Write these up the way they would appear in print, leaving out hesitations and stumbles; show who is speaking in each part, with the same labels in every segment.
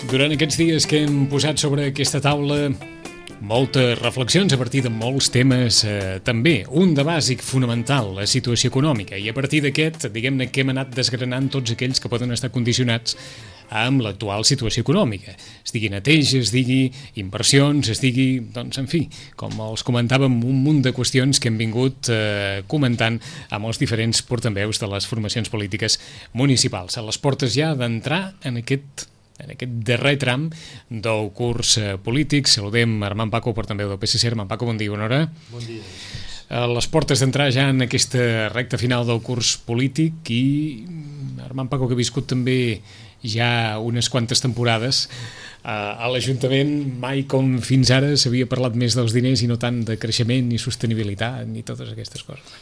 Speaker 1: Durant aquests dies que hem posat sobre aquesta taula moltes reflexions a partir de molts temes, també un de bàsic fonamental, la situació econòmica, i a partir d'aquest, diguem-ne que hem anat desgranant tots aquells que poden estar condicionats amb l'actual situació econòmica. Es digui neteja, es digui inversions, es digui, doncs, en fi, com els comentàvem, un munt de qüestions que hem vingut comentant amb els diferents portaveus de les formacions polítiques municipals. A les portes ja d'entrar en aquest darrer tram del curs polític. Saludem Armand Paco, portaveu del PSC. Armand Paco, bon dia, bona hora.
Speaker 2: Bon dia.
Speaker 1: A les portes d'entrar ja en aquesta recta final del curs polític i Armand Paco, que ha viscut també ja unes quantes temporades a l'Ajuntament, mai com fins ara s'havia parlat més dels diners i no tant de creixement ni sostenibilitat ni totes aquestes coses.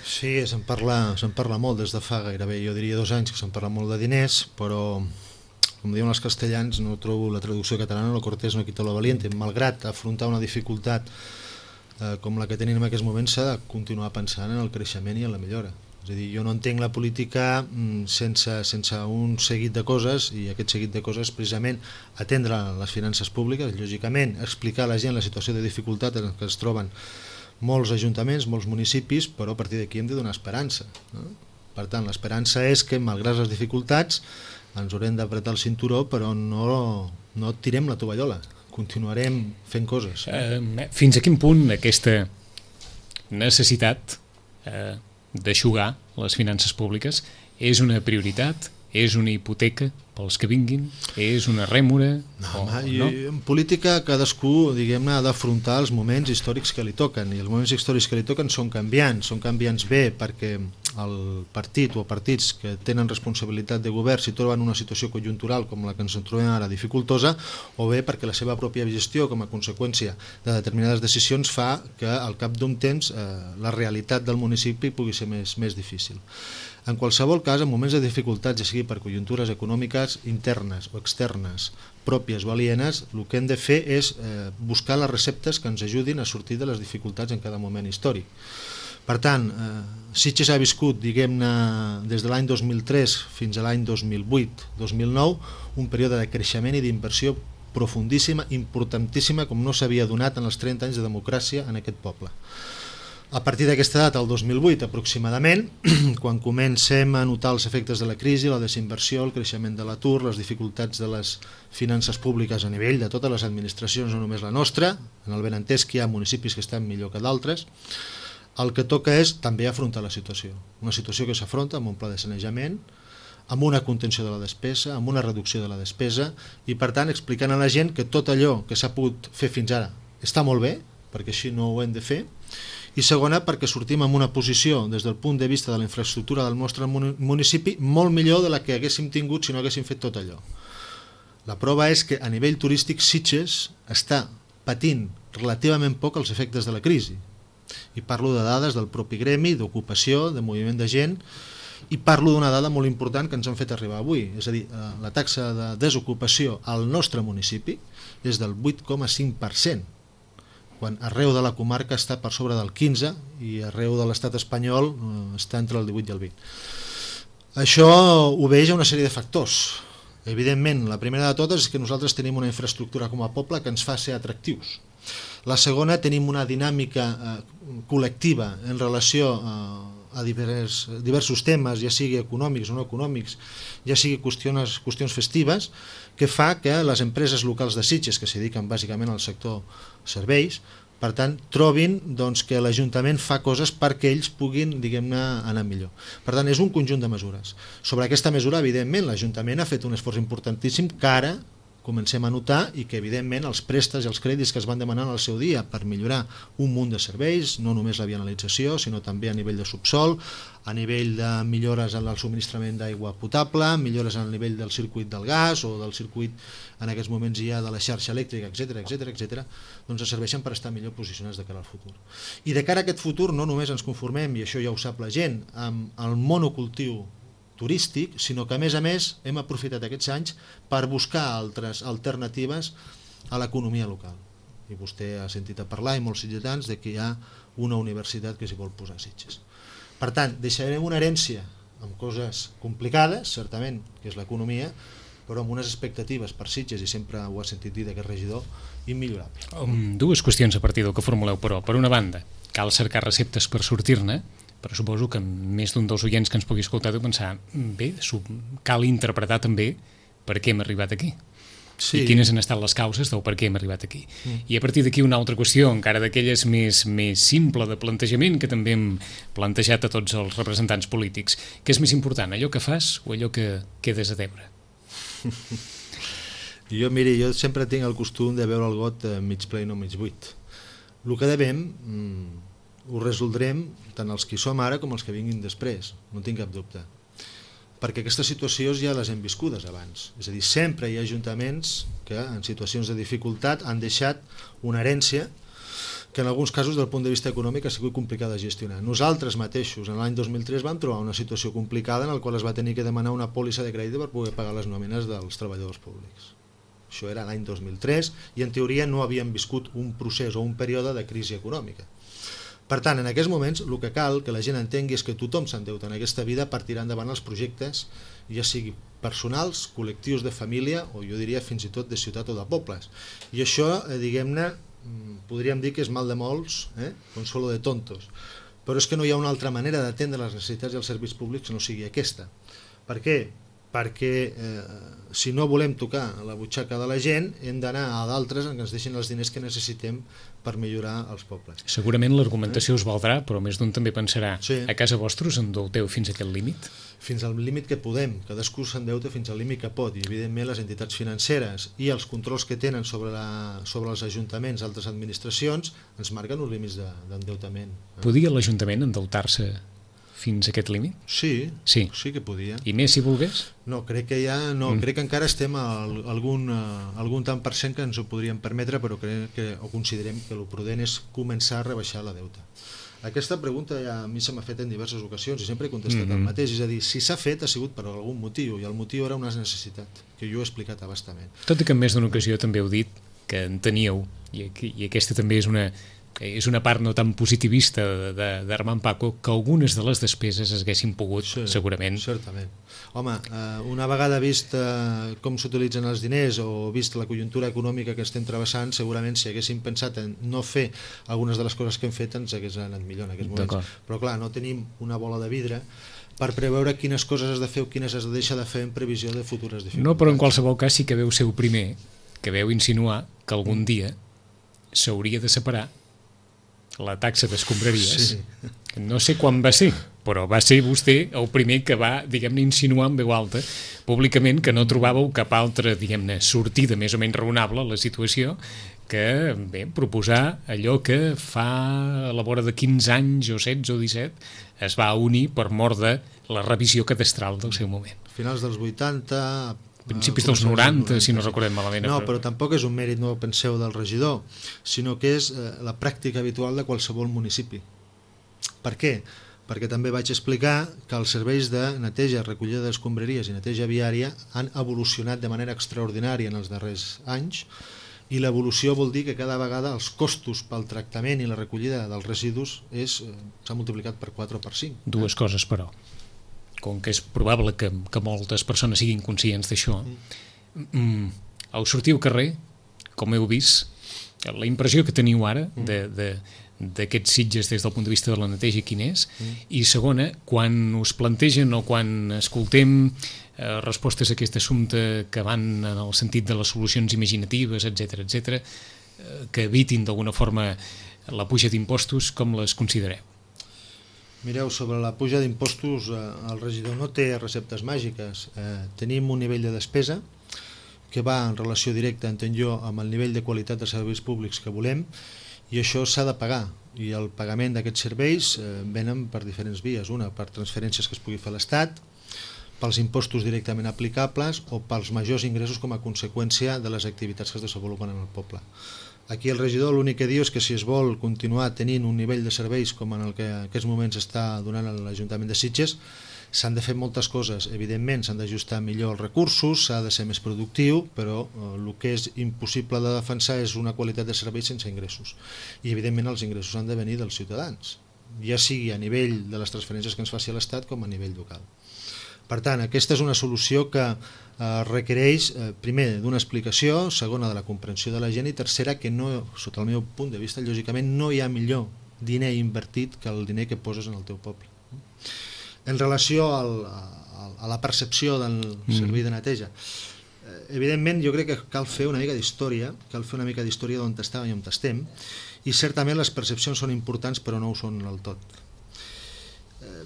Speaker 2: Sí, se'n parla molt des de fa gairebé, jo diria 2 anys que se'n parla molt de diners, però com diuen els castellans, no trobo la traducció catalana, lo cortés no quita lo valiente. Malgrat afrontar una dificultat com la que tenim en aquests moments, s'ha de continuar pensant en el creixement i en la millora. És a dir, jo no entenc la política sense un seguit de coses, i aquest seguit de coses precisament atendre les finances públiques, lògicament explicar a la gent la situació de dificultat en què es troben molts ajuntaments, molts municipis, però a partir d'aquí hem de donar esperança, no? Per tant, l'esperança és que, malgrat les dificultats, ens haurem d'apretar el cinturó, però no tirem la tovallola, continuarem fent coses.
Speaker 1: Fins a quin punt aquesta necessitat d'eixugar les finances públiques és una prioritat, és una hipoteca pels que vinguin, és una rèmora?
Speaker 2: No? En política cadascú, diguem-ne, ha d'afrontar els moments històrics que li toquen, i els moments històrics que li toquen són canviants bé perquè el partit o partits que tenen responsabilitat de govern s'hi troben en una situació conjuntural com la que ens trobem ara dificultosa, o bé perquè la seva pròpia gestió com a conseqüència de determinades decisions fa que al cap d'un temps la realitat del municipi pugui ser més difícil. En qualsevol cas, en moments de dificultats, ja sigui per conjuntures econòmiques internes o externes, pròpies o alienes, el que hem de fer és buscar les receptes que ens ajudin a sortir de les dificultats en cada moment històric. Per tant, Sitges ha viscut, diguem-ne, des de l'any 2003 fins a l'any 2008-2009, un període de creixement i d'inversió profundíssima, importantíssima, com no s'havia donat en els 30 anys de democràcia en aquest poble. A partir d'aquesta data, el 2008 aproximadament, quan comencem a notar els efectes de la crisi, la desinversió, el creixement de l'atur, les dificultats de les finances públiques a nivell de totes les administracions, no només la nostra, en el benentès que hi ha municipis que estan millor que d'altres, el que toca és també afrontar la situació. Una situació que s'afronta amb un pla de sanejament, amb una contenció de la despesa, amb una reducció de la despesa, i per tant explicant a la gent que tot allò que s'ha pogut fer fins ara està molt bé, perquè així no ho hem de fer, i segona, perquè sortim en una posició des del punt de vista de la infraestructura del nostre municipi molt millor de la que haguéssim tingut si no haguéssim fet tot allò. La prova és que a nivell turístic Sitges està patint relativament poc els efectes de la crisi, i parlo de dades del propi gremi, d'ocupació, de moviment de gent, i parlo d'una dada molt important que ens han fet arribar avui, és a dir, la taxa de desocupació al nostre municipi és del 8,5%, quan arreu de la comarca està per sobre del 15% i arreu de l'estat espanyol està entre el 18 i el 20%. Això obeix a una sèrie de factors. Evidentment, la primera de totes és que nosaltres tenim una infraestructura com a poble que ens fa ser atractius. La segona, tenim una dinàmica col·lectiva en relació a diversos temes, ja sigui econòmics o no econòmics, ja sigui qüestions festives, que fa que les empreses locals de Sitges, que s'hi dediquen bàsicament al sector serveis, per tant, trobin que l'Ajuntament fa coses perquè ells puguin, diguem-ne, anar millor. Per tant, és un conjunt de mesures. Sobre aquesta mesura, evidentment, l'Ajuntament ha fet un esforç importantíssim que ara comencem a notar i que, evidentment, els préstecs i els crèdits que es van demanar al seu dia per millorar un munt de serveis, no només la vianalització, sinó també a nivell de subsol, a nivell de millores en el subministrament d'aigua potable, millores en el nivell del circuit del gas o del circuit, en aquests moments ja de la xarxa elèctrica, etc., doncs ens serveixen per estar millor posicionats de cara al futur. I de cara a aquest futur no només ens conformem, i això ja ho sap la gent, amb el monocultiu turístic, sinó que a més hem aprofitat aquests anys per buscar altres alternatives a l'economia local. I vostè ha sentit a parlar, i molts sitgetans, de que hi ha una universitat que s'hi vol posar a Sitges. Per tant, deixarem una herència amb coses complicades, certament, que és l'economia, però amb unes expectatives per Sitges, i sempre ho ha sentit dir d'aquest regidor, immillorable.
Speaker 1: Dues qüestions a partir del que formuleu, però. Per una banda, cal cercar receptes per sortir-ne, però suposo que més d'un dels oients que ens pugui escoltar deu pensar, bé, cal interpretar també per què hem arribat aquí. Sí. I quines han estat les causes del per què hem arribat aquí. I a partir d'aquí una altra qüestió, encara d'aquelles més simple de plantejament, que també hem plantejat a tots els representants polítics. Què és més important, allò que fas o allò que quedes a deure?
Speaker 2: Jo sempre tinc el costum de veure el got mig ple i no mig buit. El que devem ho resoldrem tant els que som ara com els que vinguin després, no tinc cap dubte, perquè aquestes situacions ja les hem viscudes abans. És a dir, sempre hi ha ajuntaments que en situacions de dificultat han deixat una herència que en alguns casos del punt de vista econòmic ha sigut complicada de gestionar. Nosaltres mateixos en l'any 2003 vam trobar una situació complicada en la qual es va tenir que demanar una pòlissa de crèdit per poder pagar les nòmines dels treballadors públics. Això era l'any 2003 i en teoria no havíem viscut un procés o un període de crisi econòmica. Per tant, en aquests moments el que cal que la gent entengui és que tothom s'endeuta en aquesta vida per tirar endavant els projectes, ja sigui personals, col·lectius de família o jo diria fins i tot de ciutat o de pobles. I això, diguem-ne, podríem dir que és mal de molts, consuelo de tontos, però és que no hi ha una altra manera d'atendre les necessitats i els serveis públics que no sigui aquesta. Per què? Perquè si no volem tocar la butxaca de la gent hem d'anar a d'altres en què ens deixin els diners que necessitem per millorar els pobles.
Speaker 1: Segurament l'argumentació us valdrà, però més d'un també pensarà, sí. A casa vostra us endeuteu fins a aquest límit?
Speaker 2: Fins al límit que podem, cadascú s'endeuta fins al límit que pot, i evidentment les entitats financeres i els controls que tenen sobre els ajuntaments i altres administracions ens marquen uns límits d'endeutament.
Speaker 1: Podia l'Ajuntament endeutar-se fins a aquest límit?
Speaker 2: Sí que podia.
Speaker 1: I més si volgués?
Speaker 2: No, crec que crec que encara estem a algun tant per cent que ens ho podríem permetre, però crec que o considerem que el prudent és començar a rebaixar la deuta. Aquesta pregunta ja a mi se m'ha fet en diverses ocasions i sempre he contestat el mateix, és a dir, si s'ha fet ha sigut per algun motiu, i el motiu era una necessitat, que jo he explicat a bastament.
Speaker 1: Tot i que en més d'una ocasió també heu dit que en teníeu, i aquesta també és una part no tan positivista d'Armand Paco, que algunes de les despeses es haguessin pogut, segurament.
Speaker 2: Certament. Home, una vegada vist com s'utilitzen els diners o vist la conjuntura econòmica que estem travessant, segurament si haguéssim pensat en no fer algunes de les coses que hem fet ens hagués anat millor en aquests moments. Però clar, no tenim una bola de vidre per preveure quines coses has de fer o quines has de deixar de fer en previsió de futures dificultats.
Speaker 1: No, però en qualsevol cas sí que veu ser el primer que veu insinuar que algun dia s'hauria de separar la taxa d'escombraries. Sí. No sé quan va ser, però va ser vostè el primer que va, diguem-ne, insinuar en veu alta públicament que no trobàveu cap altra, diguem-ne, sortida més o menys raonable a la situació que, bé, proposar allò que fa a la vora de 15 anys o 16 o 17 es va unir per mort de la revisió cadastral del seu moment.
Speaker 2: Finals dels 80...
Speaker 1: principis dels 90, si no recordem malament.
Speaker 2: No, però tampoc és un mèrit, no penseu, del regidor, sinó que és la pràctica habitual de qualsevol municipi. Per què? Perquè també vaig explicar que els serveis de neteja, recollida d'escombraries i neteja viària han evolucionat de manera extraordinària en els darrers anys, i l'evolució vol dir que cada vegada els costos pel tractament i la recollida dels residus s'ha multiplicat per 4 o per 5.
Speaker 1: Dues coses, però. Com que és probable que moltes persones siguin conscients d'això, au sortir al carrer, com heu vist, la impressió que teniu ara d'aquests Sitges des del punt de vista de la neteja quin és, i segona, quan us plantegen o quan escoltem respostes a aquest assumpte que van en el sentit de les solucions imaginatives, etc., que evitin d'alguna forma la puja d'impostos, com les considereu?
Speaker 2: Mireu, sobre la puja d'impostos el regidor no té receptes màgiques. Tenim un nivell de despesa que va en relació directa, entenc jo, amb el nivell de qualitat de serveis públics que volem, i això s'ha de pagar, i el pagament d'aquests serveis venen per diferents vies, una per transferències que es pugui fer a l'Estat, pels impostos directament aplicables o pels majors ingressos com a conseqüència de les activitats que es desenvolupen en el poble. Aquí el regidor l'únic que diu és que si es vol continuar tenint un nivell de serveis com en el que en aquests moments està donant l'Ajuntament de Sitges, s'han de fer moltes coses. Evidentment s'han d'ajustar millor els recursos, s'ha de ser més productiu, però el que és impossible de defensar és una qualitat de serveis sense ingressos. I evidentment els ingressos han de venir dels ciutadans, ja sigui a nivell de les transferències que ens faci l'Estat com a nivell local. Per tant, aquesta és una solució que requereix, primer, d'una explicació, segona, de la comprensió de la gent, i tercera, que no, sota el meu punt de vista, lògicament, no hi ha millor diner invertit que el diner que poses en el teu poble. En relació a la percepció del servei de neteja, evidentment jo crec que cal fer una mica d'història, d'on estàvem i on estem, i certament les percepcions són importants però no ho són del tot.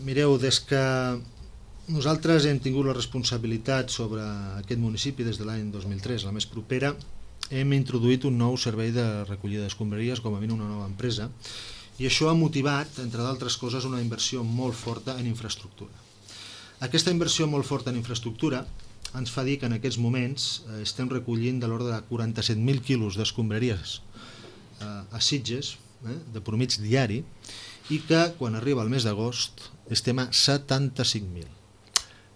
Speaker 2: Mireu, des que nosaltres hem tingut la responsabilitat sobre aquest municipi des de l'any 2003, la més propera, hem introduït un nou servei de recollida d'escombraries, com a mínim una nova empresa, i això ha motivat, entre d'altres coses, una inversió molt forta en infraestructura. Aquesta inversió molt forta en infraestructura ens fa dir que en aquests moments estem recollint de l'ordre de 47.000 quilos d'escombraries a Sitges, de promig diari, i que quan arriba el mes d'agost estem a 75.000.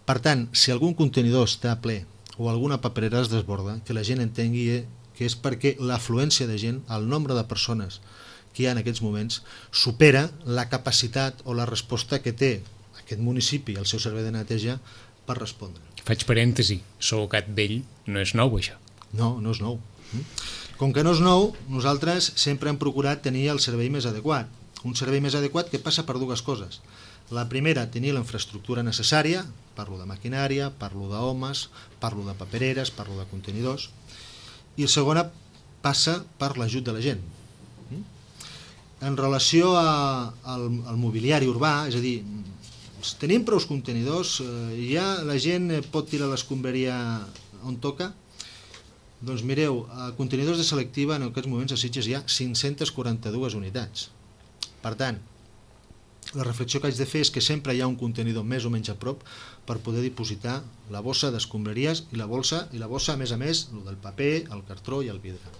Speaker 2: Per tant, si algun contenidor està ple o alguna paperera es desborda, que la gent entengui que és perquè l'afluència de gent, el nombre de persones que hi ha en aquests moments, supera la capacitat o la resposta que té aquest municipi, el seu servei de neteja, per respondre.
Speaker 1: Faig parèntesi, sou gat vell, no és nou això.
Speaker 2: No, no és nou. Com que no és nou, nosaltres sempre hem procurat tenir el servei més adequat. Un servei més adequat que passa per dues coses. La primera, tenir la infraestructura necessària, parlo de maquinària, parlo d'homes, parlo de papereres, parlo de contenidors, i la segona passa per l'ajut de la gent. En relació al mobiliari urbà, és a dir, tenim prou contenidors, ja la gent pot tirar l'escombraria on toca? Doncs mireu, a contenidors de selectiva en aquests moments a Sitges hi ha 542 unitats. Per tant, la reflexió que haig de fer és que sempre hi ha un contenidor més o menys a prop per poder dipositar la bossa d'escombraries i la bossa, a més, el del paper, el cartró i el vidre.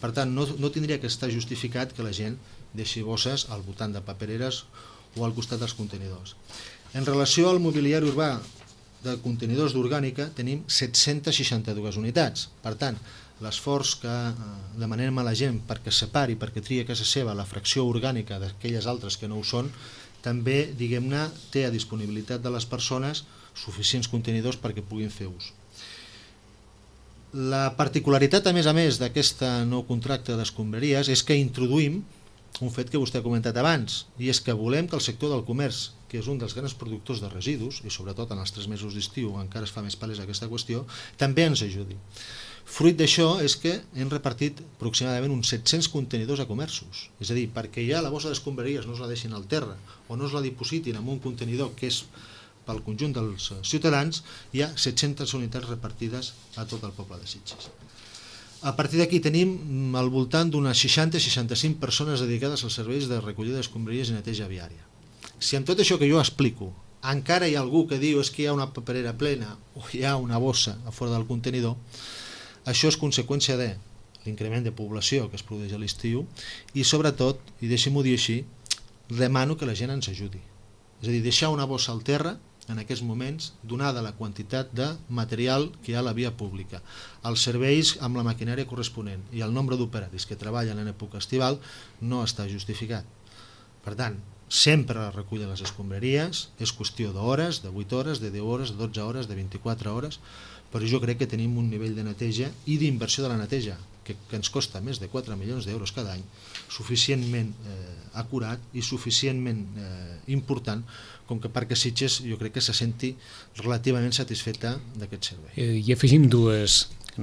Speaker 2: Per tant, no tindria que estar justificat que la gent deixi bosses al voltant de papereres o al costat dels contenidors. En relació al mobiliari urbà de contenidors d'orgànica, tenim 762 unitats. Per tant, l'esforç que demanem a la gent perquè separi, perquè tria a casa seva la fracció orgànica d'aquelles altres que no ho són, també, diguem-ne, té a disponibilitat de les persones suficients contenidors perquè puguin fer ús. La particularitat, a més, d'aquest nou contracte d'escombraries és que introduïm un fet que vostè ha comentat abans, i és que volem que el sector del comerç, que és un dels grans productors de residus, i sobretot en els 3 mesos d'estiu encara es fa més palesa aquesta qüestió, també ens ajudi. Fruit d'això és que hem repartit aproximadament uns 700 contenidors a comerços, és a dir, perquè ja la bossa d'escombraries no es la deixin al terra o no es la dipositin en un contenidor que és pel conjunt dels ciutadans, hi ha 700 unitats repartides a tot el poble de Sitges. A partir d'aquí tenim al voltant d'unes 60-65 persones dedicades als serveis de recollida d'escombraries i neteja viària. Si amb tot això que jo explico encara hi ha algú que diu que hi ha una paperera plena o hi ha una bossa a fora del contenidor, això és conseqüència de l'increment de població que es produeix a l'estiu i sobretot, i deixi-m'ho dir així, demano que la gent ens ajudi. És a dir, deixar una bossa al terra en aquests moments, donada la quantitat de material que hi ha a la via pública, els serveis amb la maquinària corresponent i el nombre d'operaris que treballen en època estival, no està justificat. Per tant, sempre la recull de les escombraries és qüestió d'hores, de 8 hores, de 10 hores, de 12 hores, de 24 hores, però jo crec que tenim un nivell de neteja i d'inversió de la neteja que ens costa més de 4 milions d'euros cada any, suficientment acurat i suficientment important com que perquè Sitges jo crec que se senti relativament satisfeta d'aquest servei.
Speaker 1: I afegim 2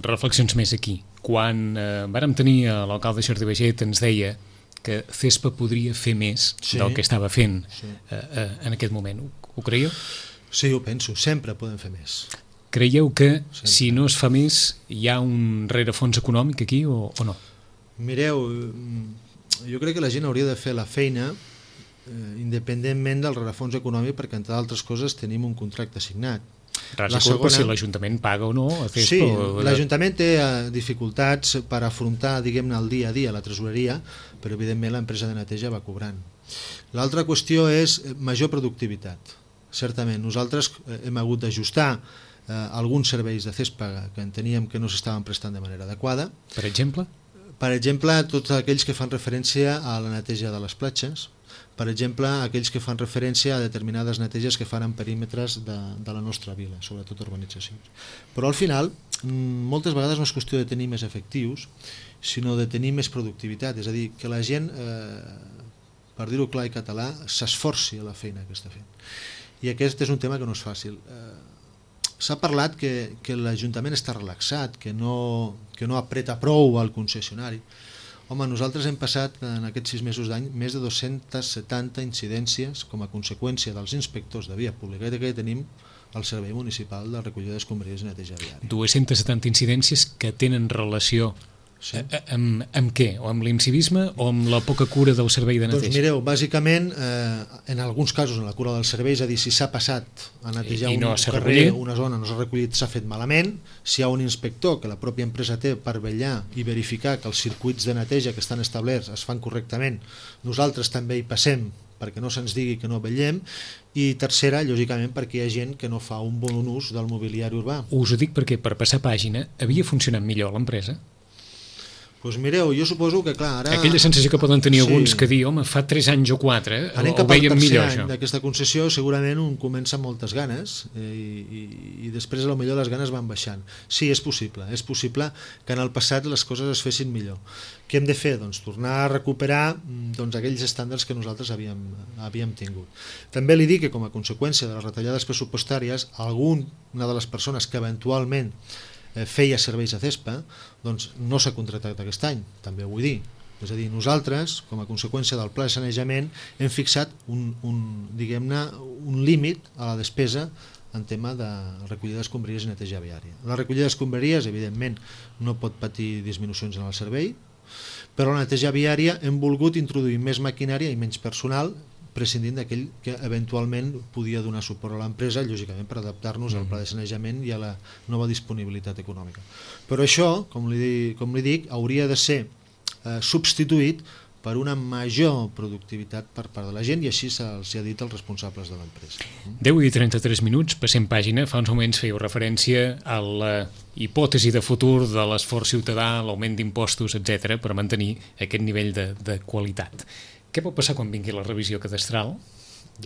Speaker 1: reflexions més aquí. Quan vàrem tenir l'alcalde Jordi Baiget ens deia que CESPA podria fer més del que estava fent en aquest moment. Ho creieu?
Speaker 2: Sí, ho penso. Sempre podem fer més.
Speaker 1: Creieu que si no es fa més hi ha un rerefons econòmic aquí o no?
Speaker 2: Mireu, jo crec que la gent hauria de fer la feina independentment del rerefons econòmic perquè entre altres coses tenim un contracte signat.
Speaker 1: Ras i culpa si l'Ajuntament paga o no a CESPA.
Speaker 2: Sí, l'Ajuntament té dificultats per afrontar, diguem-ne, el dia a dia la tresoreria, però evidentment l'empresa de neteja va cobrant. L'altra qüestió és major productivitat. Certament, nosaltres hem hagut d'ajustar alguns serveis de CESPA que enteníem que no s'estaven prestant de manera adequada.
Speaker 1: Per exemple?
Speaker 2: Per exemple, tots aquells que fan referència a la neteja de les platges, per exemple, aquells que fan referència a determinades neteges que fan en perímetres de la nostra vila, sobretot urbanitzacions. Però al final, moltes vegades no és qüestió de tenir més efectius, sinó de tenir més productivitat, és a dir, que la gent, per dir-ho clar i català, s'esforci a la feina que està fent. I aquest és un tema que no és fàcil. S'ha parlat que l'Ajuntament està relaxat, que no apreta prou al concessionari. Home, nosaltres hem passat en aquests 6 mesos d'any més de 270 incidències com a conseqüència dels inspectors de via pública que tenim al Servei Municipal de Recollida d'Escombraries i Neteja Viària.
Speaker 1: 270 incidències que tenen relació amb què? O amb l'incivisme o amb la poca cura del servei de neteja?
Speaker 2: Doncs mireu, bàsicament, en alguns casos en la cura del servei, és a dir, si s'ha passat a netejar un carrer, una zona, no s'ha recollit, s'ha fet malament, si hi ha un inspector que la pròpia empresa té per vetllar i verificar que els circuits de neteja que estan establerts es fan correctament, nosaltres també hi passem perquè no se'ns digui que no vetllem, i tercera, lògicament, perquè hi ha gent que no fa un bon ús del mobiliari urbà.
Speaker 1: Us ho dic perquè per passar pàgina havia funcionat millor l'empresa?
Speaker 2: Doncs mireu, jo suposo que clar, ara...
Speaker 1: Aquella sensació que poden tenir alguns que dir, home, fa 3 anys o 4, ho veiem millor, això.
Speaker 2: D'aquesta concessió segurament un comença amb moltes ganes i després potser les ganes van baixant. Sí, és possible que en el passat les coses es fessin millor. Què hem de fer? Doncs tornar a recuperar aquells estàndards que nosaltres havíem tingut. També li dic que com a conseqüència de les retallades pressupostàries, alguna de les persones que eventualment feia serveis a CESPA, doncs no s'ha contractat aquest any, també ho vull dir. És a dir, nosaltres, com a conseqüència del pla de sanejament, hem fixat un límit a la despesa en tema de recollida d'escombraries i neteja viària. La recollida d'escombraries, evidentment, no pot patir disminucions en el servei, però la neteja viària hem volgut introduir més maquinària i menys personal, prescindint d'aquell que eventualment podia donar suport a l'empresa, lògicament per adaptar-nos al pla de sanejament i a la nova disponibilitat econòmica. Però això, com li dic, hauria de ser substituït per una major productivitat per part de la gent, i així se'ls ha dit als responsables de l'empresa.
Speaker 1: 10:33, passem pàgina. Fa uns moments fèieu referència a la hipòtesi de futur de l'esforç ciutadà, l'augment d'impostos, etc., per mantenir aquest nivell de qualitat. Què pot passar quan vingui la revisió cadastral?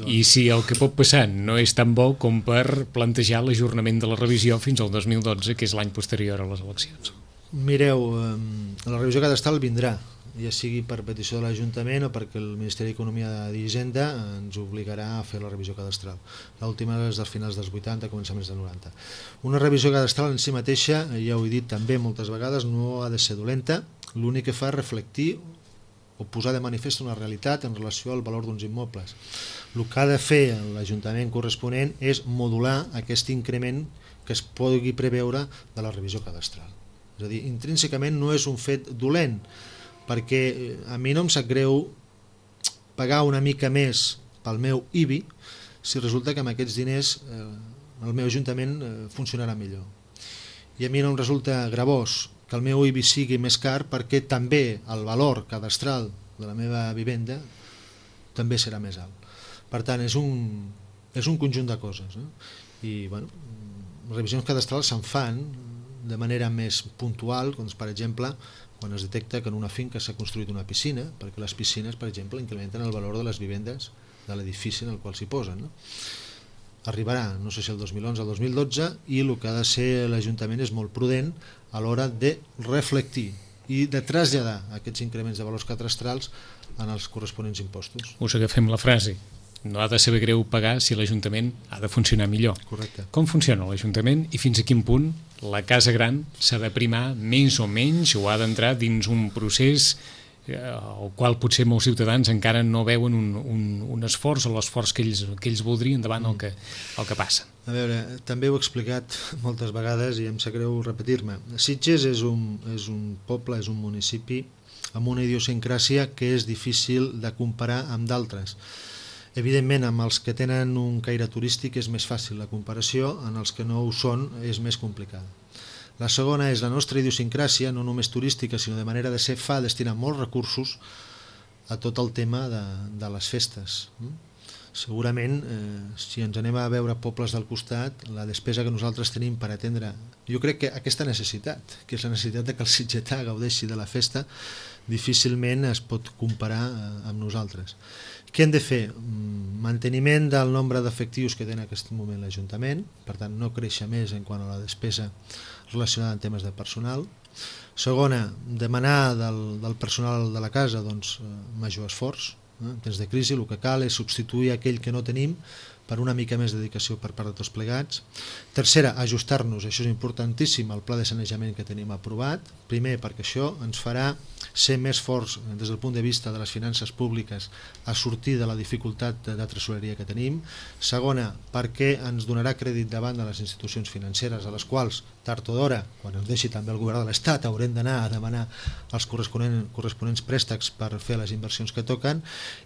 Speaker 1: I si el que pot passar no és tan bo com per plantejar l'ajornament de la revisió fins al 2012, que és l'any posterior a les eleccions?
Speaker 2: Mireu, la revisió cadastral vindrà, ja sigui per petició de l'Ajuntament o perquè el Ministeri d'Economia i Hisenda ens obligarà a fer la revisió cadastral. L'última és dels finals dels 80, començaments dels 90. Una revisió cadastral en si mateixa, ja ho he dit també moltes vegades, no ha de ser dolenta, l'únic que fa és reflectir o posar de manifest una realitat en relació al valor d'uns immobles. El que ha de fer l'Ajuntament corresponent és modular aquest increment que es pugui preveure de la revisió cadastral. És a dir, intrínsecament no és un fet dolent, perquè a mi no em sap greu pagar una mica més pel meu IBI si resulta que amb aquests diners el meu Ajuntament funcionarà millor. I a mi no em resulta gravós que el meu IBI sigui més car perquè també el valor cadastral de la meva vivenda també serà més alt. Per tant, és un conjunt de coses. I bueno, revisions cadastrals se'n fan de manera més puntual, doncs, per exemple, quan es detecta que en una finca s'ha construït una piscina, perquè les piscines, per exemple, incrementen el valor de les vivendes de l'edifici en el qual s'hi posen. Arribarà, no sé si el 2011 o el 2012, i el que ha de ser l'Ajuntament és molt prudent a l'hora de reflectir i de traslladar aquests increments de valors cadastrals en els corresponents impostos.
Speaker 1: Us agafem la frase. No ha de saber greu pagar si l'Ajuntament ha de funcionar millor.
Speaker 2: Correcte.
Speaker 1: Com funciona l'Ajuntament i fins a quin punt la casa gran s'ha de primar més o menys o ha d'entrar dins un procés al qual potser molts ciutadans encara no veuen un esforç o l'esforç que ells voldrien davant el que passa.
Speaker 2: A veure, també ho he explicat moltes vegades i em sap greu repetir-me. Sitges és un poble, és un municipi amb una idiosincràsia que és difícil de comparar amb d'altres. Evidentment, amb els que tenen un caire turístic és més fàcil la comparació, en els que no ho són és més complicada. La segona és la nostra idiosincràsia, no només turística, sinó de manera de ser, fa destinar molts recursos a tot el tema de les festes. Segurament, si ens anem a veure pobles del costat, la despesa que nosaltres tenim per atendre, jo crec que aquesta necessitat, que és la necessitat que el sitgetà gaudeixi de la festa, difícilment es pot comparar amb nosaltres. Què hem de fer? Manteniment del nombre d'efectius que té en aquest moment l'Ajuntament, per tant no créixer més en quant a la despesa relacionada amb temes de personal. Segona, demanar del personal de la casa major esforç. En temps de crisi el que cal és substituir aquell que no tenim per una mica més de dedicació per part de tots plegats. Tercera, ajustar-nos, això és importantíssim, al pla de sanejament que tenim aprovat. Primer, perquè això ens farà ser més forts des del punt de vista de les finances públiques a sortir de la dificultat de tresoreria que tenim. Segona, perquè ens donarà crèdit davant de les institucions financeres a les quals, tard o d'hora, quan ens deixi també el govern de l'Estat, haurem d'anar a demanar els corresponents préstecs per fer les inversions que toquen.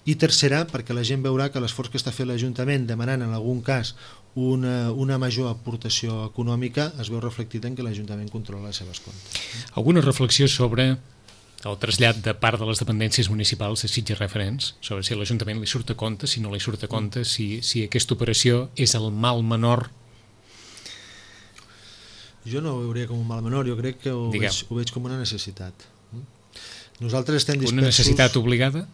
Speaker 2: I tercera, perquè la gent veurà que l'esforç que està fent l'Ajuntament demanant en algun cas una major aportació econòmica es veu reflectit en que l'Ajuntament controla les seves comptes.
Speaker 1: Alguna reflexió sobre el trasllat de part de les dependències municipals a Sitges Referents, sobre si a l'Ajuntament li surt a compte, si no li surt a compte, si aquesta operació és el mal menor?
Speaker 2: Jo no ho veuria com un mal menor, jo crec que ho veig com una necessitat. Nosaltres estem dispersos...
Speaker 1: Una necessitat obligada?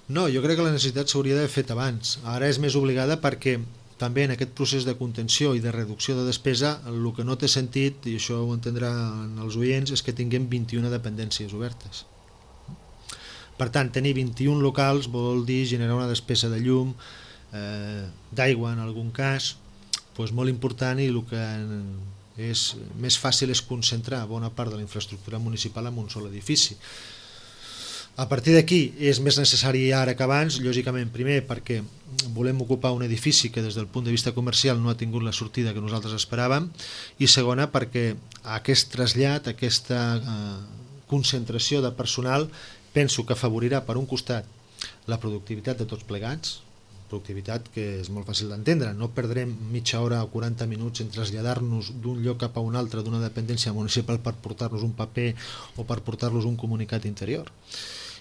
Speaker 2: No, jo crec que la necessitat s'hauria d'haver fet abans. Ara és més obligada perquè també en aquest procés de contenció i de reducció de despesa el que no té sentit, i això ho entendran els oients, és que tinguem 21 dependències obertes. Per tant, tenir 21 locals vol dir generar una despesa de llum, d'aigua en algun cas, molt important, i el que és més fàcil és concentrar bona part de la infraestructura municipal en un sol edifici. A partir d'aquí és més necessari ara que abans, lògicament, primer perquè volem ocupar un edifici que des del punt de vista comercial no ha tingut la sortida que nosaltres esperàvem, i segona perquè aquest trasllat, aquesta concentració de personal, penso que afavorirà per un costat la productivitat de tots plegats, productivitat que és molt fàcil d'entendre, no perdrem mitja hora o 40 minuts en traslladar-nos d'un lloc cap a un altre d'una dependència municipal per portar-nos un paper o per portar-nos un comunicat interior.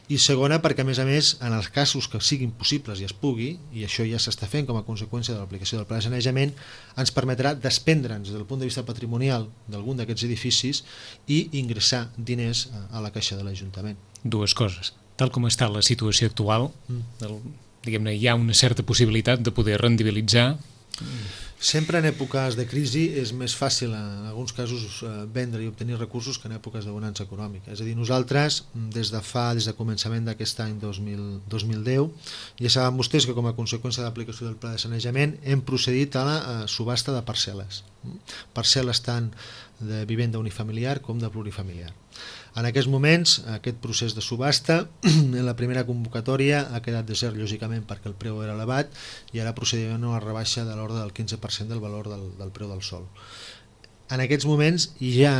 Speaker 2: I segona perquè a més, en els casos que siguin possibles i es pugui, i això ja s'està fent com a conseqüència de l'aplicació del pla de sanejament, ens permetrà desprendre'ns des del punt de vista patrimonial d'algun d'aquests edificis i ingressar diners a la caixa de l'Ajuntament.
Speaker 1: Dues coses. Tal com està la situació actual, diguem-ne, hi ha una certa possibilitat de poder rendibilitzar.
Speaker 2: Sempre en èpoques de crisi és més fàcil en alguns casos vendre i obtenir recursos que en èpoques de bonança econòmica. És a dir, nosaltres des de començament d'aquest any 2010 ja saben vostès que com a conseqüència de l'aplicació del pla de sanejament hem procedit a la subhasta de parcel·les. Parcel·les tant de vivenda unifamiliar com de plurifamiliar. En aquests moments, aquest procés de subhasta, en la primera convocatòria ha quedat desert, lògicament, perquè el preu era elevat, i ara procedim a una rebaixa de l'ordre del 15% del valor del preu del sòl. En aquests moments hi ha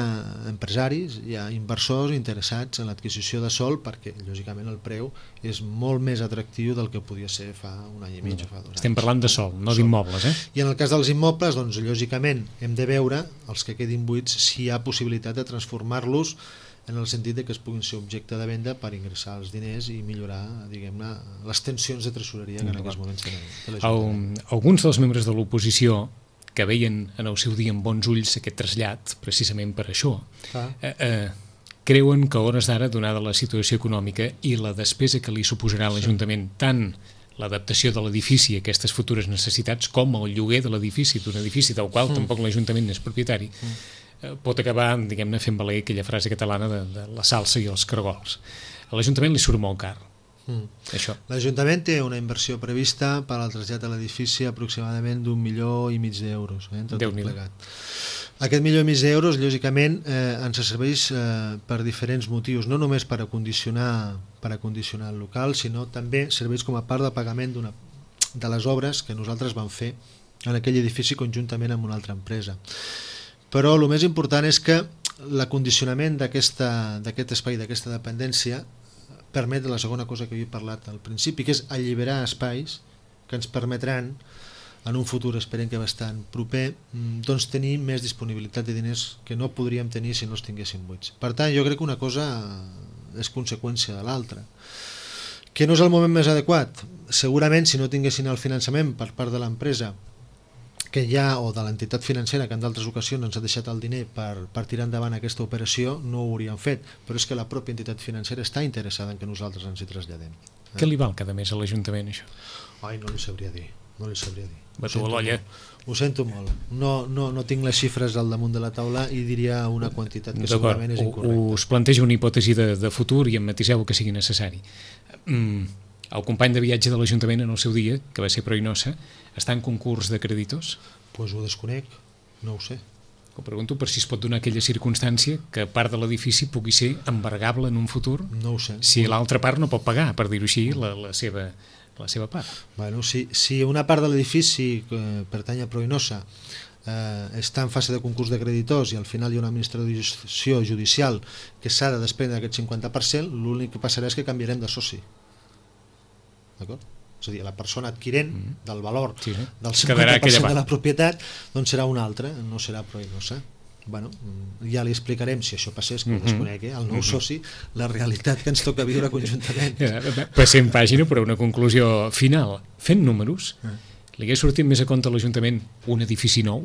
Speaker 2: empresaris, hi ha inversors interessats en l'adquisició de sòl perquè, lògicament, el preu és molt més atractiu del que podia ser fa un any i mig o fa 2 anys.
Speaker 1: Estem parlant de sòl, no d'immobles,
Speaker 2: I en el cas dels immobles, doncs, lògicament, hem de veure, els que quedin buits, si hi ha possibilitat de transformar-los en el sentit que es puguin ser objecte de venda per ingressar els diners i millorar, diguem-ne, les tensions de tresoreria que en aquests moments tenen.
Speaker 1: Alguns dels membres de l'oposició que veien en el seu dia amb bons ulls aquest trasllat, precisament per això, creuen que a hores d'ara, donada la situació econòmica i la despesa que li suposarà a l'Ajuntament, tant l'adaptació de l'edifici a aquestes futures necessitats com el lloguer de l'edifici, d'un edifici del qual tampoc l'Ajuntament n'és propietari, pot acabar, diguem-ne, fent valer aquella frase catalana de la salsa i els caragols. A l'Ajuntament li surt molt car.
Speaker 2: L'Ajuntament té una inversió prevista per al trasllat de l'edifici aproximadament d'1,5 milió d'euros, entre tot plegat. Aquest 1,5 milió d'euros, lògicament, ens serveix per diferents motius, no només per acondicionar el local, sinó també serveix com a part de pagament de les obres que nosaltres vam fer en aquell edifici conjuntament amb una altra empresa. Però el més important és que l'acondicionament d'aquest espai, d'aquesta dependència, permet la segona cosa que jo he parlat al principi, que és alliberar espais que ens permetran, en un futur esperem que bastant proper, doncs tenir més disponibilitat de diners que no podríem tenir si no els tinguéssim buits. Per tant, jo crec que una cosa és conseqüència de l'altra. Que no és el moment més adequat? Segurament, si no tinguessin el finançament per part de l'empresa que hi ha, o de l'entitat financera que en d'altres ocasions ens ha deixat el diner per tirar endavant aquesta operació, no ho hauríem fet, però és que la pròpia entitat financera està interessada en que nosaltres ens hi traslladem.
Speaker 1: Què li val cada mes a l'Ajuntament, això?
Speaker 2: Ai, no li sabria dir.
Speaker 1: Batu a l'olla.
Speaker 2: Ho sento molt. No tinc les xifres al damunt de la taula i diria una quantitat que segurament és incorrecta.
Speaker 1: Us plantejo una hipòtesi de futur i em matiseu el que sigui necessari. El company de viatge de l'Ajuntament en el seu dia, que va ser Proinosa, està en concurs de creditors?
Speaker 2: Doncs ho desconec, no ho sé.
Speaker 1: Ho pregunto per si es pot donar aquella circumstància que part de l'edifici pugui ser embargable en un futur,
Speaker 2: no ho sé.
Speaker 1: Si l'altra part no pot pagar, per dir-ho així, la seva part.
Speaker 2: Bueno, si una part de l'edifici que pertany a Proinosa està en fase de concurs de creditors i al final hi ha una administració judicial que s'ha de desprendre d'aquest 50%, l'únic que passarà és que canviarem de soci. D'acord? És a dir, la persona adquirent del valor del 50% de la propietat doncs serà una altra, no serà Proinosa. Bueno, ja li explicarem, si això passés, que ho desconec, el nou soci, la realitat que ens toca viure conjuntament.
Speaker 1: Passem pàgina, però una conclusió final. Fent números, li hagués sortit més a compte a l'Ajuntament un edifici nou?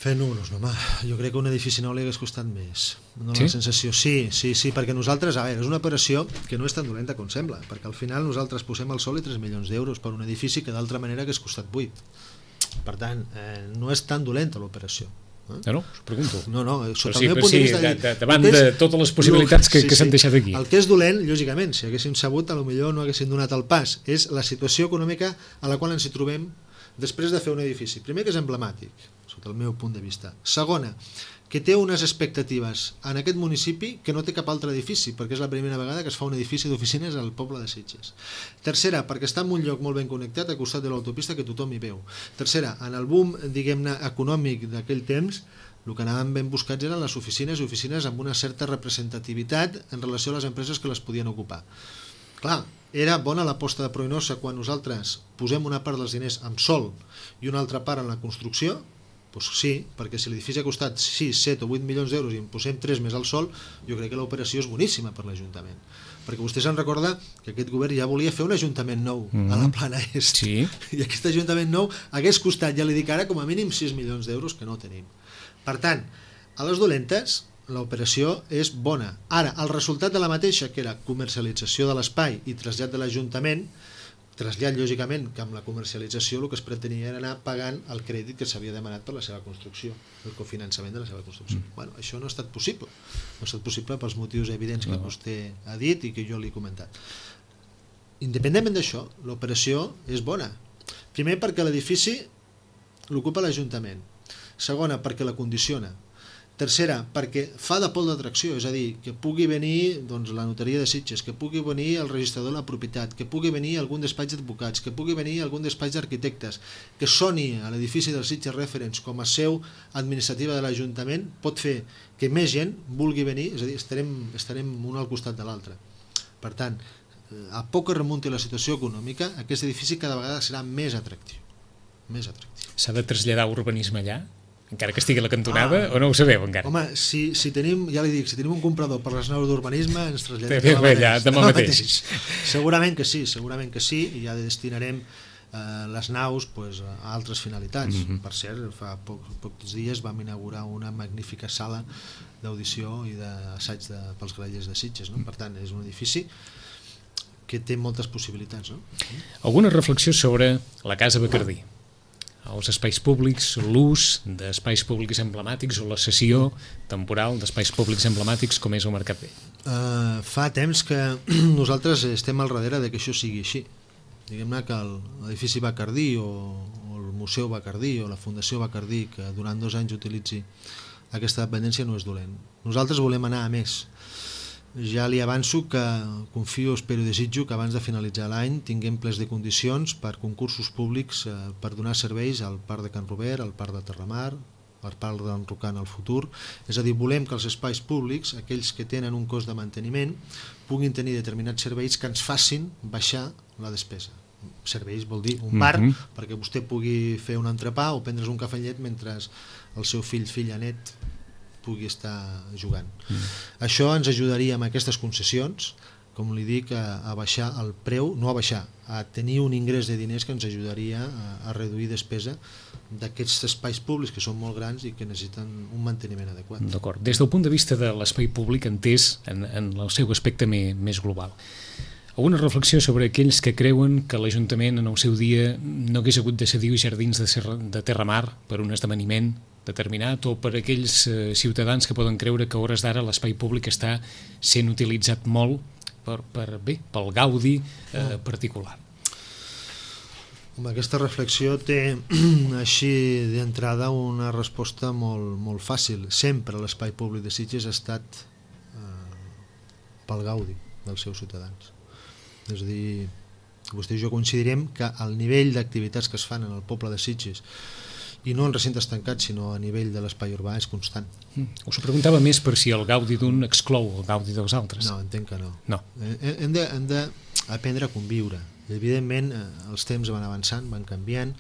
Speaker 2: Fent números, no, home, jo crec que un edifici nou li hagués costat més. No, la sensació, sí, perquè nosaltres, a veure, és una operació que no és tan dolenta com sembla, perquè al final nosaltres posem al sol 3 milions d'euros per un edifici que d'altra manera hagués costat 8. Per tant, no és tan dolenta l'operació.
Speaker 1: No, us pregunto.
Speaker 2: No, sota el meu punt de vista...
Speaker 1: Davant de totes les possibilitats que s'han deixat aquí.
Speaker 2: El que és dolent, lògicament, si haguéssim sabut, potser no haguéssim donat el pas, és la situació econòmica a la qual ens hi trobem després de fer un edifici. Primer, que és emblemàtic, sota el meu punt de vista. Segona, que té unes expectatives en aquest municipi que no té cap altre edifici, perquè és la primera vegada que es fa un edifici d'oficines al poble de Sitges. Tercera, perquè està en un lloc molt ben connectat, a costat de l'autopista, que tothom hi veu. Tercera, en el boom, diguem-ne, econòmic d'aquell temps, el que anàvem ben buscats eren les oficines i oficines amb una certa representativitat en relació a les empreses que les podien ocupar. Clar, era bona l'aposta de Proinosa quan nosaltres posem una part dels diners amb sòl i una altra part en la construcció? Doncs sí, perquè si l'edifici ha costat 6, 7 o 8 milions d'euros i en posem 3 més al sòl, jo crec que l'operació és boníssima per l'Ajuntament. Perquè vostè se'n recorda que aquest govern ja volia fer un ajuntament nou a la Plana Est.
Speaker 1: Sí.
Speaker 2: I aquest ajuntament nou hagués costat, ja li dic ara, com a mínim 6 milions d'euros, que no tenim. Per tant, a les dolentes, l'operació és bona. Ara, el resultat de la mateixa, que era comercialització de l'espai i trasllat de l'Ajuntament, trasllat, lògicament, que amb la comercialització el que es pretenia era anar pagant el crèdit que s'havia demanat per la seva construcció, el cofinançament de la seva construcció. Bueno, això no ha estat possible. No ha estat possible pels motius evidents que vostè ha dit i que jo li he comentat. Independentment d'això, l'operació és bona. Primer, perquè l'edifici l'ocupa l'Ajuntament. Segona, perquè la condiciona. Tercera, perquè fa de pol d'atracció, és a dir, que pugui venir la notaria de Sitges, que pugui venir el registrador de la propietat, que pugui venir algun despatx d'advocats, que pugui venir algun despatx d'arquitectes, que soni a l'edifici del Sitges Reference com a seu administrativa de l'Ajuntament, pot fer que més gent vulgui venir, és a dir, estarem un al costat de l'altre. Per tant, a poc que remunti la situació econòmica, aquest edifici cada vegada serà més atractiu.
Speaker 1: S'ha de traslladar urbanisme allà? Encara que estigui a la cantonada, o no ho sabeu encara?
Speaker 2: Home, si tenim, ja li dic, si tenim un comprador per les naus d'urbanisme, ens traslladem
Speaker 1: demà mateix.
Speaker 2: Segurament que sí, i ja destinarem les naus a altres finalitats. Per cert, fa pocs dies vam inaugurar una magnífica sala d'audició i d'assaig pels grallers de Sitges. Per tant, és un edifici que té moltes possibilitats.
Speaker 1: Alguna reflexió sobre la Casa Bacardí? Els espais públics, l'ús d'espais públics emblemàtics o la cessió temporal d'espais públics emblemàtics com és el Mercat Vell?
Speaker 2: Fa temps que nosaltres estem al darrere que això sigui així. Diguem-ne que l'edifici Bacardí o el Museu Bacardí o la Fundació Bacardí, que durant 2 anys utilitzi aquesta dependència, no és dolent. Nosaltres volem anar a més. Ja li avanço que confio, espero i desitjo que abans de finalitzar l'any tinguem plens de condicions per concursos públics per donar serveis al Parc de Can Robert, al Parc de Terramar, al Parc d'en Rocan al futur. És a dir, volem que els espais públics, aquells que tenen un cost de manteniment, puguin tenir determinats serveis que ens facin baixar la despesa. Serveis vol dir un bar, perquè vostè pugui fer un entrepà o prendre's un cafè amb llet mentre el seu filla net pugui estar jugant. Això ens ajudaria amb aquestes concessions, com li dic, a baixar el preu, no a baixar, a tenir un ingrés de diners que ens ajudaria a reduir despesa d'aquests espais públics que són molt grans i que necessiten un manteniment adequat.
Speaker 1: D'acord. Des del punt de vista de l'espai públic entès en el seu aspecte més global, alguna reflexió sobre aquells que creuen que l'Ajuntament en el seu dia no hagués hagut de cedir jardins de Terramar per un esdeveniment determinat, o per aquells ciutadans que poden creure que a hores d'ara l'espai públic està sent utilitzat molt pel gaudi particular?
Speaker 2: Aquesta reflexió té així d'entrada una resposta molt fàcil. Sempre l'espai públic de Sitges ha estat pel gaudi dels seus ciutadans. És a dir, vostè i jo coincidirem que el nivell d'activitats que es fan en el poble de Sitges, i no en recintes tancats, sinó a nivell de l'espai urbà, és constant.
Speaker 1: Us ho preguntava més per si el gaudi d'un exclou el gaudi dels altres.
Speaker 2: No, entenc que no.
Speaker 1: No.
Speaker 2: Hem d'aprendre a conviure. Evidentment, els temps van avançant, van canviant,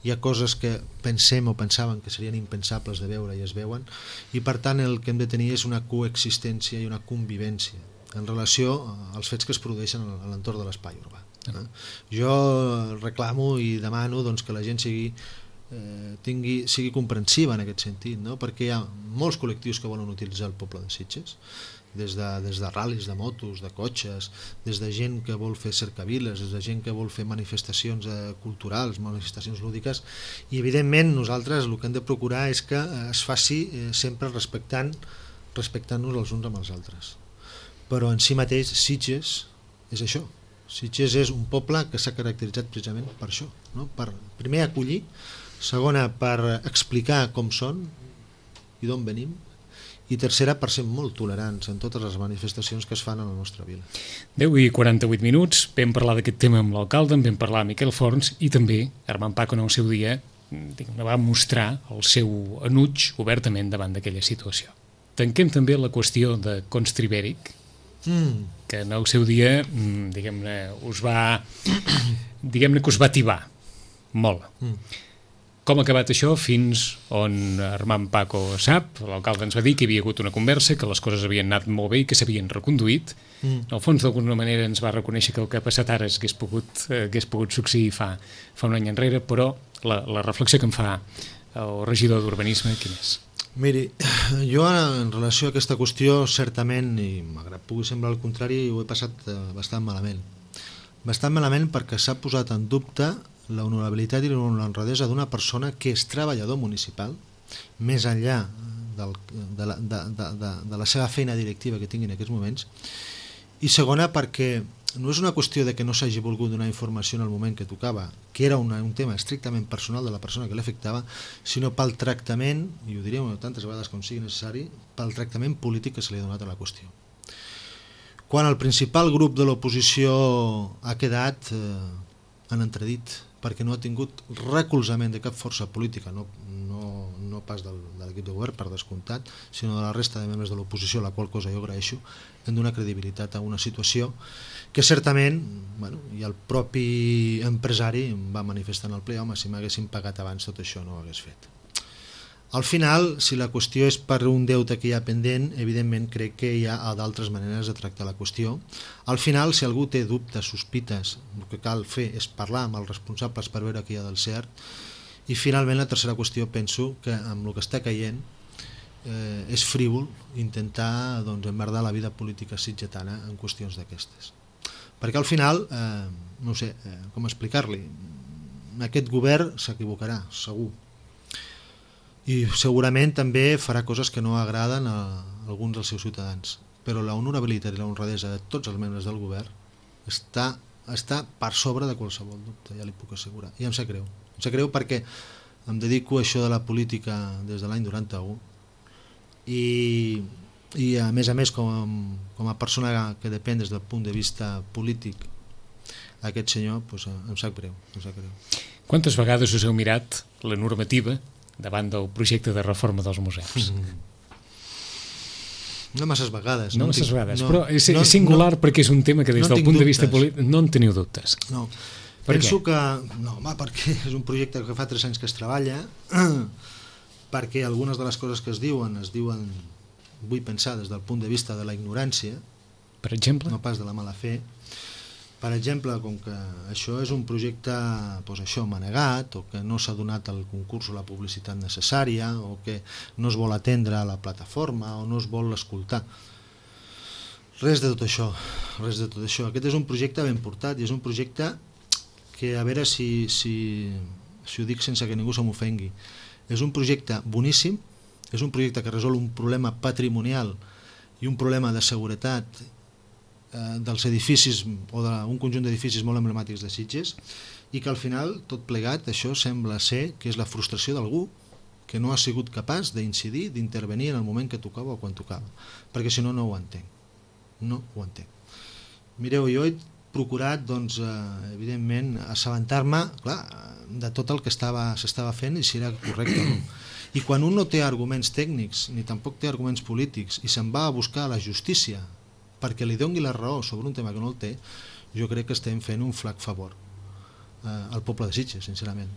Speaker 2: hi ha coses que pensem o pensaven que serien impensables de veure i es veuen, i per tant el que hem de tenir és una coexistència i una convivència en relació als fets que es produeixen a l'entorn de l'espai urbà. Jo reclamo i demano que la gent sigui comprensiva en aquest sentit, no? Perquè hi ha molts col·lectius que volen utilitzar el poble de Sitges, des de ral·lis de motos, de cotxes, des de gent que vol fer cercaviles, des de gent que vol fer manifestacions culturals, manifestacions lúdiques, i evidentment nosaltres el que hem de procurar és que es faci sempre respectant-nos els uns amb els altres. Però en si mateix Sitges és això. Sitges és un poble que s'ha caracteritzat precisament per això, no? Per primer acollir, segona per explicar com són i d'on venim, i tercera per ser molt tolerants en totes les manifestacions que es fan a la nostra vila.
Speaker 1: 10:48, vam parlar d'aquest tema amb l'alcalde, en vam parlar amb Miquel Forns, i també Armand Paco en el seu dia va mostrar el seu enuig obertament davant d'aquella situació. Tanquem també la qüestió de Constribèric, que en el seu dia diguem-ne que us va tibar molt. Com ha acabat això? Fins on Armand Paco sap, l'alcalde ens va dir que hi havia hagut una conversa, que les coses havien anat molt bé i que s'havien reconduït. En el fons, d'alguna manera, ens va reconèixer que el que ha passat ara hagués pogut succeir fa un any enrere, però la reflexió que em fa el regidor d'Urbanisme, quin és?
Speaker 2: Miri, jo en relació a aquesta qüestió, certament, i malgrat pugui semblar el contrari, ho he passat bastant malament. Bastant malament perquè s'ha posat en dubte la honorabilitat i l'honradesa d'una persona que és treballador municipal, més enllà de la seva feina directiva que tingui en aquests moments, i segona perquè no és una qüestió de que no s'hagi volgut donar informació en el moment que tocava, que era un tema estrictament personal de la persona que l'afectava, sinó pel tractament, i ho diré tantes vegades com sigui necessari, pel tractament polític que se li ha donat a la qüestió. Quan el principal grup de l'oposició ha quedat en entredit, perquè no ha tingut recolzament de cap força política, no pas de l'equip de govern, per descomptat, sinó de la resta de membres de l'oposició, la qual cosa jo agraeixo, hem donat credibilitat a una situació que certament, i el propi empresari va manifestar en el ple, home, si m'haguessin pagat abans tot això no ho hagués fet. Al final, si la qüestió és per un deute que hi ha pendent, evidentment crec que hi ha d'altres maneres de tractar la qüestió. Al final, si algú té dubtes, sospites, el que cal fer és parlar amb els responsables per veure què hi ha del cert. I finalment, la tercera qüestió, penso que amb el que està caient és frívol intentar emmerdar la vida política sitgetana en qüestions d'aquestes. Perquè al final, no sé com explicar-li, aquest govern s'equivocarà, segur. I segurament també farà coses que no agraden a alguns dels seus ciutadans, però la honorabilitat i la honradesa de tots els membres del govern està per sobre de qualsevol dubte, ja li puc assegurar, i em sap greu. Em sap greu perquè em dedico a això de la política des de l'any 91 i a més com a persona que depèn des del punt de vista polític aquest senyor, em sap greu.
Speaker 1: Quantes vegades us heu mirat la normativa davant del projecte de reforma dels museus?
Speaker 2: No masses vegades.
Speaker 1: Però és singular perquè és un tema que des del punt de vista polític no en teniu dubtes.
Speaker 2: No, penso que... No, home, perquè és un projecte que fa 3 anys que es treballa, perquè algunes de les coses que es diuen, vull pensar des del punt de vista de la ignorància,
Speaker 1: Per exemple?
Speaker 2: No pas de la mala fe. Per exemple, com que això és un projecte manegat, o que no s'ha donat el concurs o la publicitat necessària, o que no es vol atendre a la plataforma, o no es vol escoltar. Res de tot això, res de tot això. Aquest és un projecte ben portat i és un projecte que, a veure si ho dic sense que ningú se m'ofengui, és un projecte boníssim, és un projecte que resol un problema patrimonial i un problema de seguretat dels edificis o d'un conjunt d'edificis molt emblemàtics de Sitges, i que al final tot plegat això sembla ser que és la frustració d'algú que no ha sigut capaç d'incidir, d'intervenir en el moment que tocava o quan tocava, perquè si no, no ho entenc. No ho entenc. Mireu, jo he procurat, doncs, evidentment, assabentar-me, clar, de tot el que s'estava fent i si era correcte o no. I quan un no té arguments tècnics ni tampoc té arguments polítics i se'n va a buscar la justícia perquè li doni la raó sobre un tema que no el té, jo crec que estem fent un flac favor al poble de Sitges, sincerament,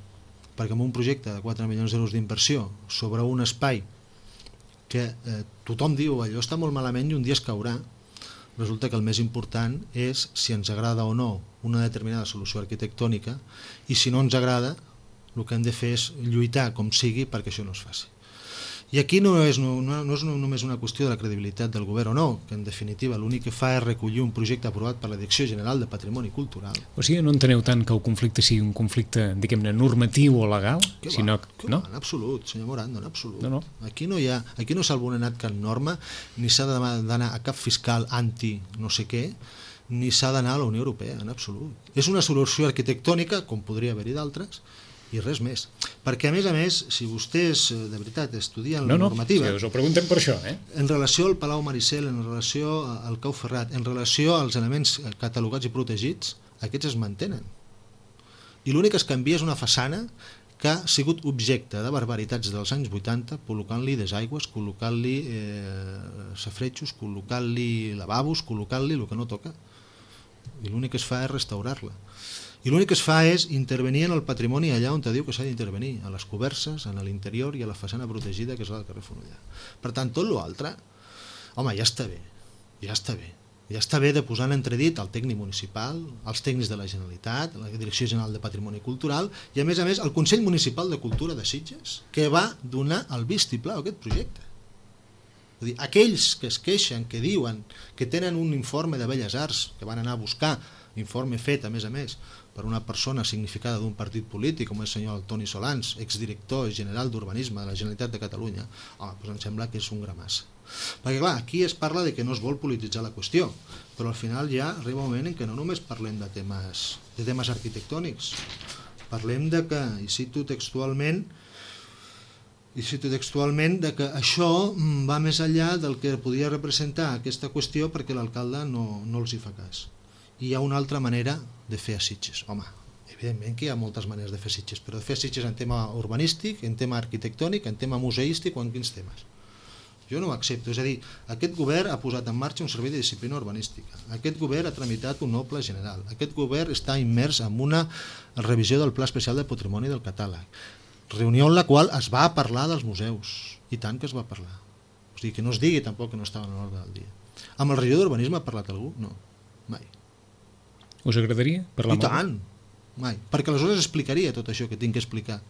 Speaker 2: perquè amb un projecte de 4 milions d'euros d'inversió sobre un espai que tothom diu allò està molt malament i un dia es caurà, resulta que el més important és si ens agrada o no una determinada solució arquitectònica, i si no ens agrada el que hem de fer és lluitar com sigui perquè això no es faci. I aquí no és només una qüestió de la credibilitat del govern o no, que en definitiva l'únic que fa és recollir un projecte aprovat per la Direcció General de Patrimoni Cultural.
Speaker 1: O sigui, no enteneu tant que el conflicte sigui un conflicte, diguem-ne, normatiu o legal?
Speaker 2: No? En absolut, senyor Morando, en absolut.
Speaker 1: No.
Speaker 2: Aquí no s'ha vulnerat cap norma, ni s'ha d'anar a cap fiscal anti no sé què, ni s'ha d'anar a la Unió Europea, en absolut. És una solució arquitectònica, com podria haver-hi d'altres, i res més. Perquè, a més, si vostès de veritat estudien la normativa...
Speaker 1: No, us ho preguntem per això,
Speaker 2: En relació al Palau Maricel, en relació al Cau Ferrat, en relació als elements catalogats i protegits, aquests es mantenen. I l'únic que es canvia és una façana que ha sigut objecte de barbaritats dels anys 80, col·locant-li desaigües, col·locant-li safaretjos, col·locant-li lavabos, col·locant-li el que no toca. I l'únic que es fa és restaurar-la. I l'únic que es fa és intervenir en el patrimoni allà on te diu que s'ha d'intervenir, a les coberses, en l'interior i a la façana protegida que és la del carrer Fonollar. Per tant, tot l'altre, home, ja està bé, ja està bé. Ja està bé de posar en entredit el tècnic municipal, els tècnics de la Generalitat, la Direcció General de Patrimoni Cultural i, a més, el Consell Municipal de Cultura de Sitges, que va donar el vistiplau a aquest projecte. És a dir, aquells que es queixen, que diuen que tenen un informe de Belles Arts, que van anar a buscar, informe fet, a més, per una persona significada d'un partit polític, com el senyor Toni Solans, exdirector general d'Urbanisme de la Generalitat de Catalunya, home, doncs em sembla que és un gra massa. Perquè, clar, aquí es parla de que no es vol polititzar la qüestió, però al final ja arriba un moment en què no només parlem de temes arquitectònics, parlem de que, i cito textualment, de que això va més enllà del que podia representar aquesta qüestió perquè l'alcalde no els hi fa cas. I hi ha una altra manera de fer a Sitges. Home, evidentment que hi ha moltes maneres de fer Sitges, però de fer Sitges en tema urbanístic, en tema arquitectònic, en tema museístic o en quins temes. Jo no ho accepto. És a dir, aquest govern ha posat en marxa un servei de disciplina urbanística. Aquest govern ha tramitat un nou pla general. Aquest govern està immers en una revisió del Pla Especial de Patrimoni del Catàleg. Reunió en la qual es va parlar dels museus. I tant que es va parlar. O sigui, que no es digui tampoc que no estava en l'ordre del dia. Amb el regidor d'Urbanisme ha parlat algú? No, mai.
Speaker 1: Us agradaria parlar amb algú?
Speaker 2: I tant, mai. Perquè aleshores explicaria tot això que tinc que explicar.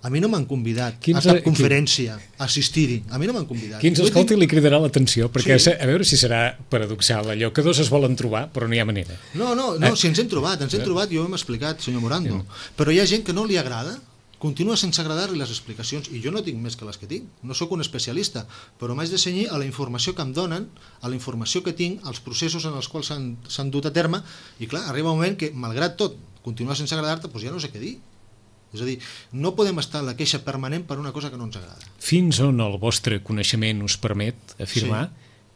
Speaker 2: A mi no m'han convidat a cap conferència a assistir-hi. A mi no m'han convidat.
Speaker 1: Qui ens escolti li cridarà l'atenció, perquè a veure si serà paradoxal allò que dos es volen trobar, però no hi ha manera.
Speaker 2: No, si ens hem trobat, jo ho hem explicat, senyor Morando. Però hi ha gent que no li agrada, continua sense agradar-li les explicacions, i jo no tinc més que les que tinc, no sóc un especialista, però m'haig de cenyir a la informació que em donen, a la informació que tinc, als processos en els quals s'han dut a terme, i clar, arriba un moment que, malgrat tot, continua sense agradar-te, doncs ja no sé què dir. És a dir, no podem estar en la queixa permanent per una cosa que no ens agrada.
Speaker 1: Fins on el vostre coneixement us permet afirmar,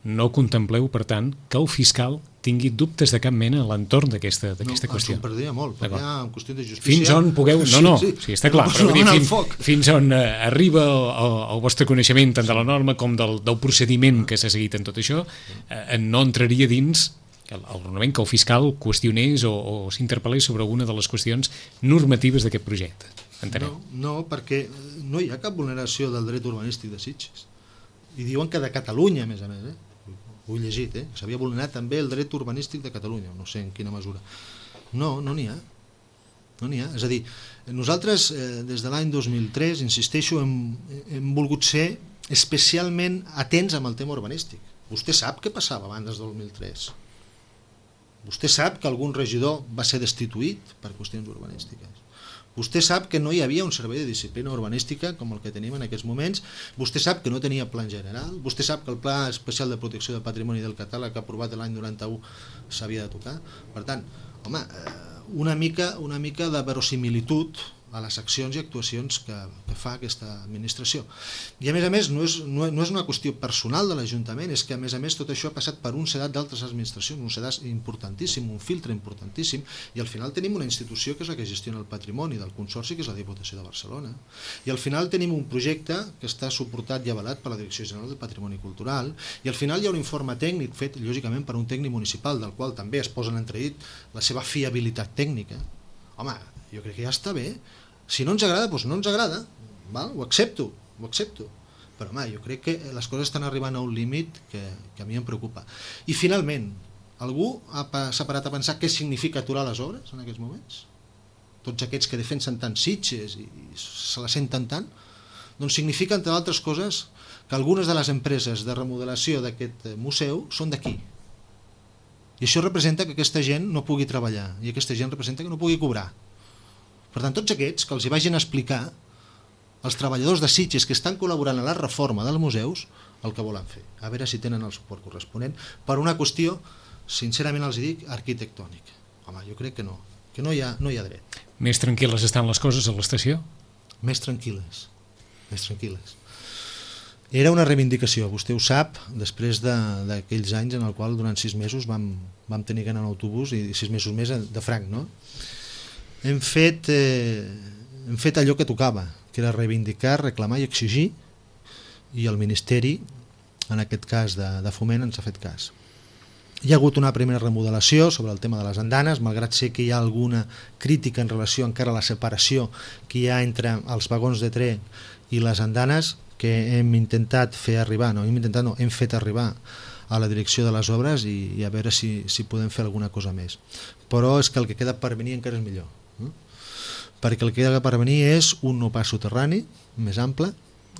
Speaker 1: no contempleu, per tant, que el fiscal tingui dubtes de cap mena a l'entorn d'aquesta qüestió.
Speaker 2: No, ens ho perdria molt, perquè hi ha qüestió de justícia...
Speaker 1: Fins on pugueu... No, sí, està clar, però vull dir, fins on arriba el vostre coneixement tant de la norma com del procediment que s'ha seguit en tot això, no entraria dins el raonament que el fiscal qüestionés o s'interpel·lés sobre alguna de les qüestions normatives d'aquest projecte. Entenem?
Speaker 2: No, perquè no hi ha cap vulneració del dret urbanístic de Sitges. I diuen que de Catalunya, a més. ho he llegit, que s'havia vulnerat també el dret urbanístic de Catalunya, no sé en quina mesura. No n'hi ha. No n'hi ha. És a dir, nosaltres des de l'any 2003, insisteixo, hem volgut ser especialment atents amb el tema urbanístic. Vostè sap què passava abans del 2003. Vostè sap que algun regidor va ser destituït per qüestions urbanístiques. Vostè sap que no hi havia un servei de disciplina urbanística com el que tenim en aquests moments. Vostè sap que no tenia plan general. Vostè sap que el Pla Especial de Protecció del Patrimoni del Catàleg aprovat l'any 91 s'havia de tocar. Per tant, home, una mica de verosimilitud a les accions i actuacions que fa aquesta administració. I a més, no és una qüestió personal de l'Ajuntament, és que a més tot això ha passat per un sedat d'altres administracions, un sedat importantíssim, un filtre importantíssim, i al final tenim una institució que és la que gestiona el patrimoni del Consorci, que és la Diputació de Barcelona, i al final tenim un projecte que està suportat i avalat per la Direcció General del Patrimoni Cultural, i al final hi ha un informe tècnic fet, lògicament, per un tècnic municipal, del qual també es posa en entredit la seva fiabilitat tècnica. Home, jo crec que ja està bé. Si no ens agrada, doncs no ens agrada, val? Ho accepto, però home, jo crec que les coses estan arribant a un límit que a mi em preocupa. I finalment, algú s'ha parat a pensar què significa aturar les obres en aquests moments? Tots aquests que defensen tant Sitges i se la senten tant, doncs significa, entre altres coses, que algunes de les empreses de remodelació d'aquest museu són d'aquí. I això representa que aquesta gent no pugui treballar, i aquesta gent representa que no pugui cobrar. Per tant, tots aquests que els hi vagin a explicar als treballadors de Sitges que estan col·laborant a la reforma dels museus el que volen fer, a veure si tenen el suport corresponent per una qüestió, sincerament els dic, arquitectònica. Home, jo crec que no hi ha dret.
Speaker 1: Més tranquil·les estan les coses a l'estació?
Speaker 2: Més tranquil·les. Era una reivindicació, vostè ho sap, després d'aquells anys en el qual durant 6 mesos vam tenir que anar en autobús i 6 mesos més de franc, no? Hem fet allò que tocava, que era reivindicar, reclamar i exigir, i el Ministeri, en aquest cas de Foment, ens ha fet cas. Hi ha hagut una primera remodelació sobre el tema de les andanes, malgrat ser que hi ha alguna crítica en relació encara a la separació que hi ha entre els vagons de tren i les andanes, que hem fet arribar a la direcció de les obres i a veure si podem fer alguna cosa més. Però és que el que queda per venir encara és millor. Perquè el que queda per venir és un nou pas soterrani més ample,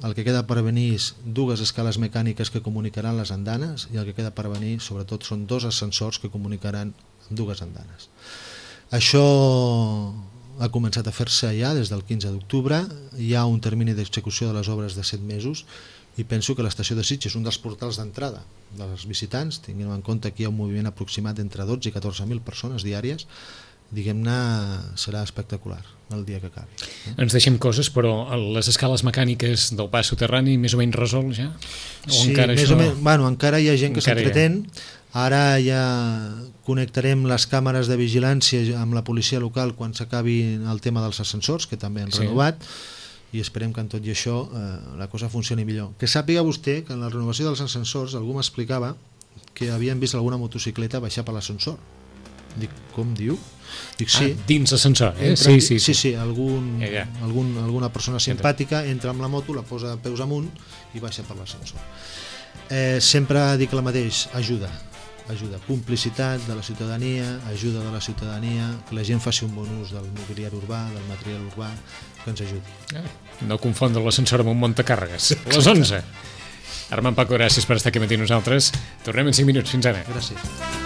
Speaker 2: el que queda per venir és 2 escales mecàniques que comunicaran les andanes i el que queda per venir sobretot són 2 ascensors que comunicaran amb 2 andanes. Això ha començat a fer-se ja des del 15 d'octubre, hi ha un termini d'execució de les obres de 7 mesos i penso que l'estació de Sitges és un dels portals d'entrada dels visitants, tinguem en compte que hi ha un moviment aproximat entre 12 i 14.000 persones diàries, diguem-ne, serà espectacular el dia que acabi.
Speaker 1: Ens deixem coses, però les escales mecàniques del pas soterrani més o menys resol ja?
Speaker 2: Sí, encara hi ha gent que s'entretén. Ara ja connectarem les càmeres de vigilància amb la policia local quan s'acabi el tema dels ascensors, que també han renovat, i esperem que en tot i això la cosa funcioni millor. Que sàpiga vostè que en la renovació dels ascensors algú m'explicava que havien vist alguna motocicleta baixar per l'ascensor. Dic, com diu? Dic, sí.
Speaker 1: Dins l'ascensor,
Speaker 2: Sí, alguna persona simpàtica entra amb la moto, la posa peus amunt i baixa per l'ascensor. Sempre dic el mateix, ajuda, complicitat de la ciutadania, ajuda de la ciutadania, que la gent faci un bon ús del mobiliari urbà, del material urbà, que ens ajudi.
Speaker 1: No confondre l'ascensor amb un muntacàrregues. A les 11. Armand Paco, gràcies per estar aquí amb nosaltres. Tornem en 5 minuts. Fins ara.
Speaker 2: Gràcies.